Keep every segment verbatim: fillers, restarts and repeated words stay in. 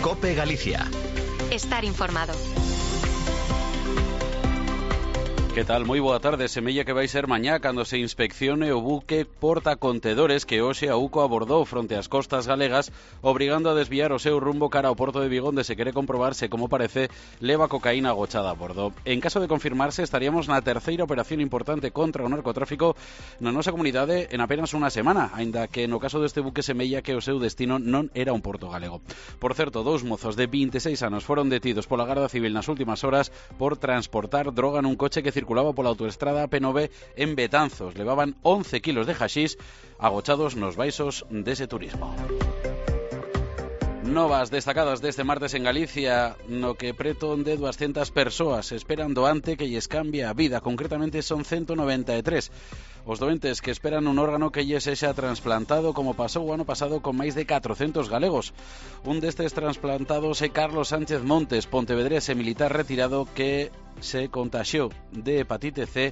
COPE Galicia. Estar informado. Que tal? Moi boa tarde. Semella que vai ser mañá cando se inspeccione o buque portacontedores que hoxe a U C O abordou fronte ás costas galegas, obrigando a desviar o seu rumbo cara ao porto de Vigo, onde se quere comprobarse, como parece, leva cocaína agochada a bordo. En caso de confirmarse, estaríamos na terceira operación importante contra o narcotráfico na nosa comunidade en apenas unha semana, aínda que no caso deste buque semella que o seu destino non era un porto galego. Por certo, dous mozos de vinte e seis anos foron detidos pola Garda Civil nas últimas horas por transportar droga nun coche que circulaba pola autoestrada P nove en Betanzos. Levaban once kilos de haxís agochados nos baixos dese turismo. Novas destacadas deste martes en Galicia, no que preto de doscientas persoas esperan doante que lles cambie a vida. Concretamente son ciento noventa e tres os doentes que esperan un órgano que lles sexa trasplantado, como pasou o ano pasado con máis de catrocentos galegos. Un destes trasplantados é Carlos Sánchez Montes, pontevedrese militar retirado que se contagió de hepatite C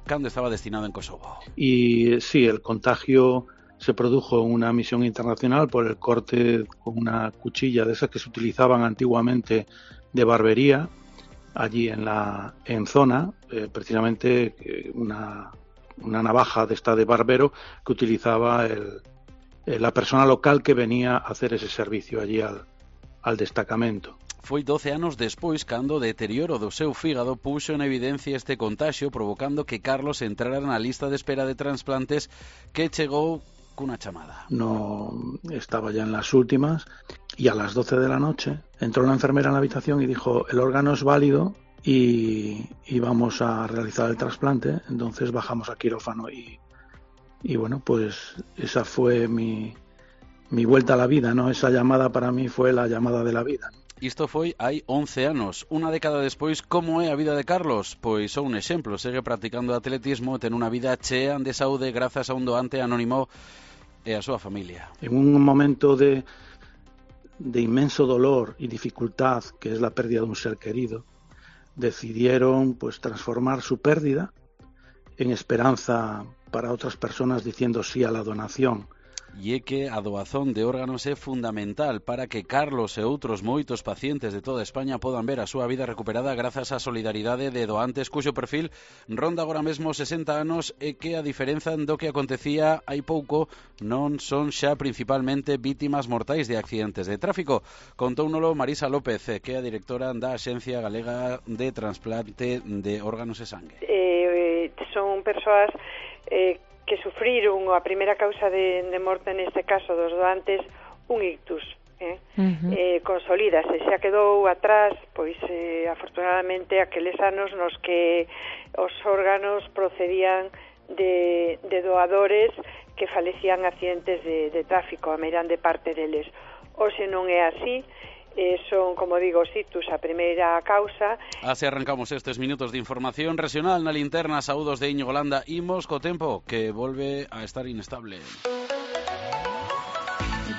cando estaba destinado en Kosovo. Y sí, el contagio se produjo en una misión internacional por el corte con una cuchilla de esas que se utilizaban antiguamente de barbería allí en la en zona, eh, precisamente eh, una, una navaja de esta de barbero que utilizaba el, eh, la persona local que venía a hacer ese servicio allí al, al destacamento. Foi doce anos despois cando o deterioro do seu fígado puxo en evidencia este contagio, provocando que Carlos entrara na lista de espera de trasplantes que chegou cunha chamada. No estaba ya en las últimas y a las doce de la noche entró la enfermera en la habitación y dijo: el órgano es válido y, y vamos a realizar el trasplante. Entonces bajamos a quirófano y, y bueno, pues esa fue mi, mi vuelta a la vida, ¿no? Esa llamada para mí fue la llamada de la vida, ¿no? Isto foi hai once anos. Unha década despois, como é a vida de Carlos? Pois só un exemplo, segue practicando atletismo e ten unha vida chea de saúde grazas a un doante anónimo e a súa familia. En un momento de, de inmenso dolor y dificultad, que es la pérdida de un ser querido, decidieron pues transformar su pérdida en esperanza para otras personas, diciendo sí a la donación. E é que a doazón de órganos é fundamental para que Carlos e outros moitos pacientes de toda España podan ver a súa vida recuperada grazas á solidaridade de doantes cuxo perfil ronda agora mesmo sesenta anos e que, a diferenza do que acontecía hai pouco, non son xa principalmente vítimas mortais de accidentes de tráfico. Contóunolo Marisa López, que é a directora da Axencia Galega de Transplante de Órganos e Sangue. Eh, son persoas eh, que sufriron a primeira causa de, de morte neste caso dos doantes un ictus, eh? Uh-huh. eh, consolídase, xa quedou atrás, pois eh, afortunadamente aqueles anos nos que os órganos procedían de, de doadores que falecían accidentes de, de tráfico, a meirande parte deles. Hoxe non é así. Eh, son, como digo, os ictus a primeira causa. Así arrancamos estes minutos de información regional na linterna. Saúdos de Íñigo Landa. Imos co tempo, que volve a estar inestable.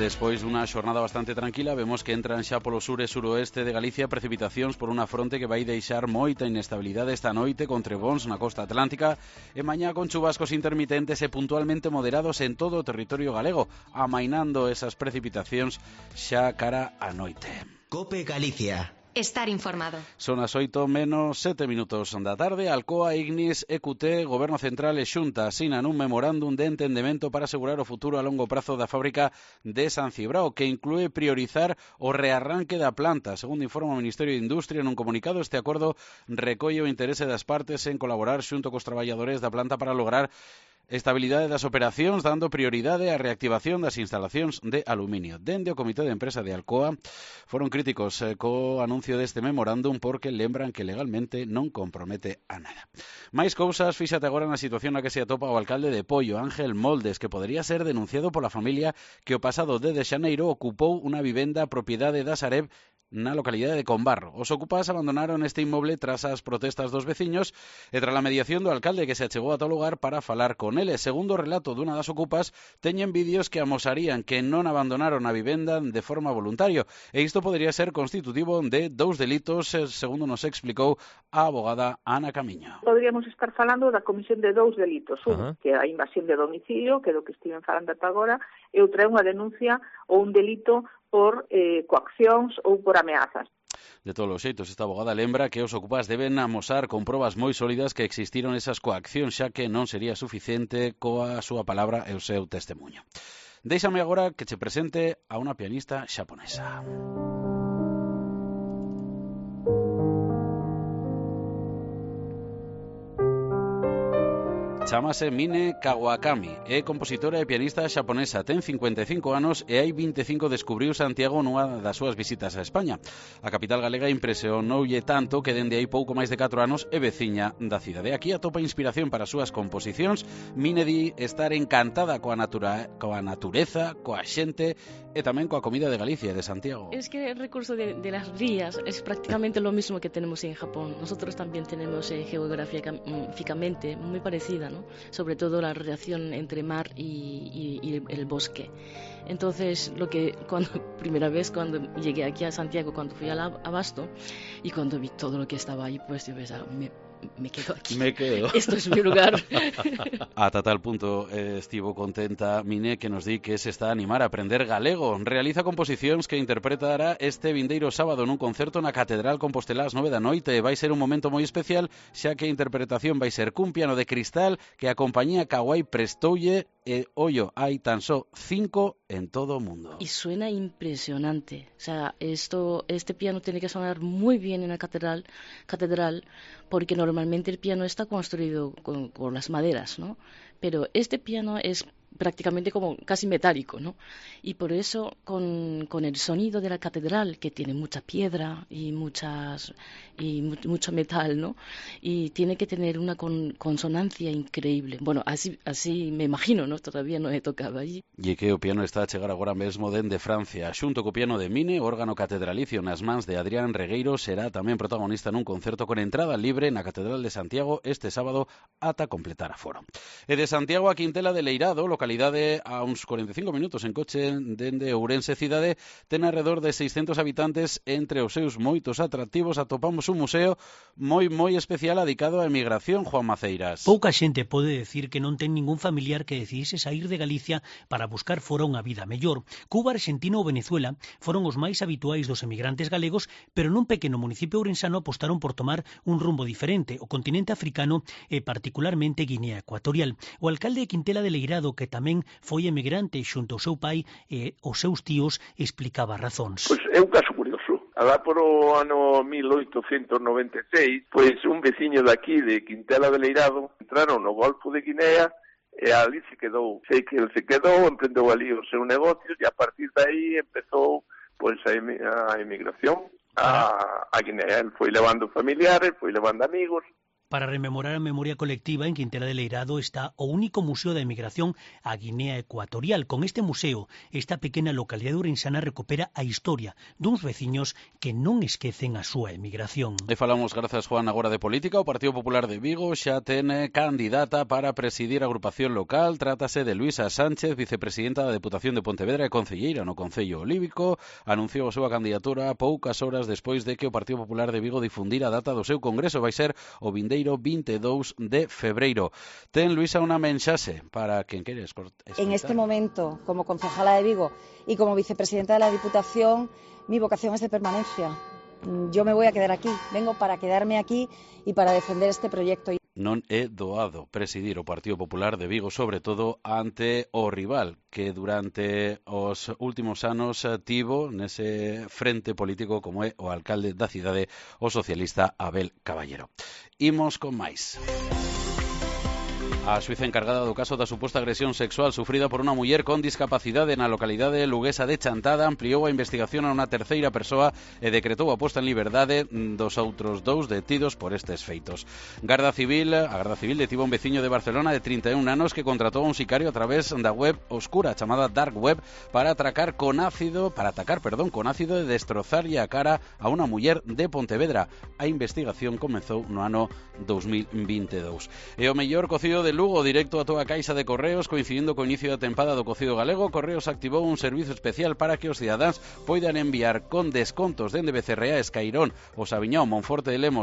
Despois dunha xornada bastante tranquila, vemos que entran xa polo sur e suroeste de Galicia precipitacións por unha fronte que vai deixar moita inestabilidade esta noite con trebóns na costa atlántica e mañá con chubascos intermitentes e puntualmente moderados en todo o territorio galego, amainando esas precipitacións xa cara á noite. COPE Galicia. Estar informado. Son as oito menos sete minutos da tarde. Alcoa, Ignis, E Q T, Goberno Central e Xunta asinan un memorándum de entendemento para asegurar o futuro a longo prazo da fábrica de San Cibrao, que inclúe priorizar o rearranque da planta. Segundo informa o Ministerio de Industria nun comunicado, este acordo recolle o interese das partes en colaborar xunto cos traballadores da planta para lograr estabilidade das operacións, dando prioridade á reactivación das instalacións de aluminio. Dende o Comité de Empresa de Alcoa foron críticos eh, co anuncio deste memorándum porque lembran que legalmente non compromete a nada. Mais cousas, fíxate agora na situación na que se atopa o alcalde de Poio, Ángel Moldes, que podería ser denunciado pola familia que o pasado dez de xaneiro ocupou unha vivenda propiedade da Sareb na localidade de Combarro. Os ocupas abandonaron este inmoble tras as protestas dos veciños e tras a mediación do alcalde, que se achegou a tal lugar para falar con eles. Segundo o relato dunha das ocupas, teñen vídeos que amosarían que non abandonaron a vivenda de forma voluntaria, e isto podería ser constitutivo de dous delitos, segundo nos explicou a abogada Ana Camiño. Poderíamos estar falando da comisión de dous delitos, un, uh-huh. que é a invasión de domicilio, que é do que estiven falando ata agora, e outra é unha denuncia ou un delito por eh, coaccións ou por ameazas. De todos os xeitos, esta abogada lembra que os ocupas deben amosar con probas moi sólidas que existiron esas coaccións, xa que non sería suficiente coa súa palabra e o seu testemunho. Déixame agora que che presente a unha pianista xaponesa. Chamase Mine Kawakami, é compositora e pianista xaponesa, ten cincuenta e cinco anos e hai vinte e cinco descubriu Santiago nunha das súas visitas a España. A capital galega impresionoulle tanto que dende aí pouco máis de catro anos é veciña da cidade. Aquí atopa inspiración para as súas composicións. Mine di estar encantada coa, natura, coa natureza, coa xente e tamén coa comida de Galicia e de Santiago. Es que el recurso de, de las rías es prácticamente lo mismo que tenemos en Japón. Nosotros también tenemos eh, geográficamente muy parecida, ¿no? Sobre todo la relación entre mar y, y, y el bosque. Entonces, lo que cuando primera vez cuando llegué aquí a Santiago, cuando fui al Abasto y cuando vi todo lo que estaba ahí, pues yo pensaba, me, me quedo aquí. Me quedo. Esto es mi lugar. Ata tal punto eh, estivo contenta Mine que nos di que se está a animar a aprender galego. Realiza composicións que interpretará este vindeiro sábado nun concerto na Catedral Compostelá ás nove da noite. Vai ser un momento moi especial, xa que a interpretación vai ser cun piano de cristal que a compañía Kawai prestoulle e, ollo, hai tan só cinco en todo o mundo. Y suena impresionante. O sea, esto, este piano tiene que sonar muy bien en la catedral, catedral porque normalmente el piano está construido con, con las maderas, ¿no? Pero este piano es prácticamente como casi metálico, ¿no? Y por eso con, con el sonido de la catedral, que tiene mucha piedra y muchas y mu mucho metal, ¿no? Y tiene que tener una con, consonancia increíble. Bueno, así así me imagino, ¿no? Todavía no he tocado allí. E que o piano está a chegar agora mesmo dende Francia. Xunto co piano de Mine, o órgano catedralicio nas mans de Adrián Regueiro será tamén protagonista nun concerto con entrada libre na Catedral de Santiago este sábado ata completar aforo. E de Santiago a Quintela de Leirado, localidade a uns cuarenta e cinco minutos en coche dende Ourense cidade, ten alrededor de seiscentos habitantes. Entre os seus moitos atractivos atopamos un museo moi moi especial dedicado á emigración, Juan Maceiras. Pouca xente pode decir que non ten ningún familiar que decidise sair de Galicia para buscar fora unha vida mellor. Cuba, Argentina ou Venezuela foron os máis habituais dos emigrantes galegos, pero nun pequeno municipio ourensano apostaron por tomar un rumbo diferente, o continente africano e particularmente Guinea Ecuatorial. O alcalde de Quintela de Leirado, que tamén foi emigrante xunto ao seu pai e os seus tíos, explicaba razóns. Pois é un caso curioso. Alá por o ano mil oitocentos noventa e seis, pois un veciño daqui de Quintela de Leirado entraron no Golfo de Guinea e ali se quedou. Sei que ele se quedou, emprendeu ali os seus negocios e a partir de aí empezou pois a, em a emigración a, a Guinea. Ele foi levando familiares, foi levando amigos. Para rememorar a memoria colectiva, en Quintela de Leirado está o único museo da emigración a Guinea Ecuatorial. Con este museo, esta pequena localidade ourensana recupera a historia duns veciños que non esquecen a súa emigración. E falamos, grazas Juan, agora de política. O Partido Popular de Vigo xa ten candidata para presidir a agrupación local. Trátase de Luisa Sánchez, vicepresidenta da Deputación de Pontevedra e concelleira no Concello Olívico. Anunciou a súa candidatura poucas horas despois de que o Partido Popular de Vigo difundira a data do seu congreso. Vai ser o vindeiro vinte e dous de febreiro. Ten, Luisa, unha mensaxe para quen quere escoltar. En este momento, como concejala de Vigo y como vicepresidenta de la Diputación, mi vocación es de permanencia. Yo me voy a quedar aquí, vengo para quedarme aquí y para defender este proyecto. Non é doado presidir o Partido Popular de Vigo, sobre todo ante o rival que durante os últimos anos tivo nese frente político como é o alcalde da cidade, o socialista Abel Caballero. Imos con máis. A xuíza encargada do caso da suposta agresión sexual sufrida por unha muller con discapacidade na localidade luguesa de Chantada ampliou a investigación a unha terceira persoa e decretou a posta en liberdade dos outros dous detidos por estes feitos. Garda Civil, a Garda Civil detivo un veciño de Barcelona de trinta e un anos que contratou a un sicario a través da web oscura chamada Dark Web para atracar con ácido, para atacar, perdón, con ácido e destrozarlle a cara a unha muller de Pontevedra. A investigación comezou no ano dous mil vinte e dous. E o mellor cocido de de Lugo, directo a toda a caixa de correos, coincidindo co inicio da tempada do cocido galego, Correos activou un servizo especial para que os cidadáns poidan enviar con descontos dende Becerreá, Escairón, o Sabiñao, Monforte de Lemos